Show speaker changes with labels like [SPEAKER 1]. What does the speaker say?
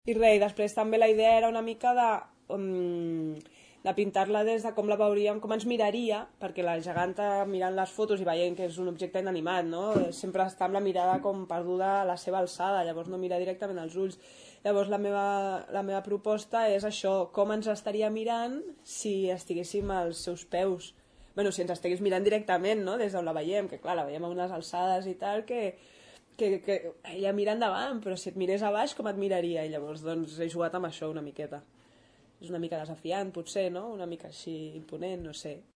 [SPEAKER 1] I res, després també la idea era una mica de pintar-la des de com la veuríem, com ens miraria, perquè la geganta mirant les fotos i veient que és un objecte inanimat, no? Sempre està amb la mirada com perduda a la seva alçada, llavors no mira directament als ulls. Llavors la meva proposta és això, com ens estaria mirant si estiguéssim als seus peus. Bueno, si ens estigués mirant directament, no? Des d'on la veiem, que clar, la veiem a unes alçades i tal, que ella mira endavant, però si et mirés a baix, com et miraria? I llavors, doncs, he jugat amb això una miqueta. És una mica desafiant, potser, no? Una mica així imponent, no sé.